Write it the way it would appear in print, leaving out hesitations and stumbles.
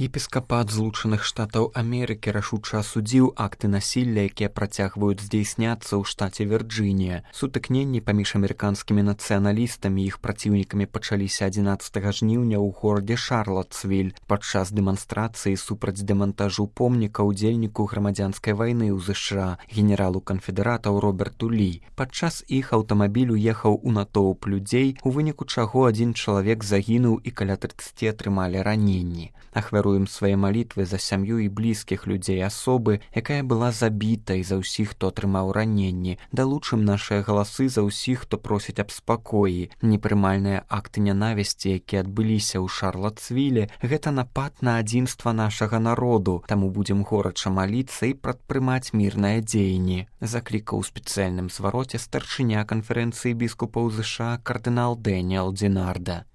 Епіскапат Злучаных Штатаў Амерыкі рашуча асудзіў акты насілля, якія працягваюць здзейсняцца ў штаце Вірджынія. Сутыкненні паміж амерыканскімі нацыяналістамі і іх праціўнікамі пачаліся 11 жніўня ў горадзе Шарлоттсвіль падчас дэманстрацыі супраць дэмантажу помніка ўдзельніку грамадзянскай вайны ў ЗША генералу канфедэратаў Роберту Лі. Падчас іх аўтамабіль уехаў у натоўп людзей, у выніку чаго адзін чалавек загінуў і каля 30 атрымалі раненні. Ахвяруем свае малітвы за сям'ю і блізкіх людзей асобы, якая была забіта, і за ўсіх, хто атрымаў раненні. Далучым нашыя галасы за ўсіх, хто просіць аб спакоі. Непрымальныя акты нянавісці, якія адбыліся ў Шарлоттсвіле, гэта напад на адзінства нашага народу, таму будзем горача маліцца і прадпрымаць мірныя дзеянні. Заклікаў у спецыяльным звароце старшыня канферэнцыі біскупаў ЗША кардынал Дэніэл Динарда.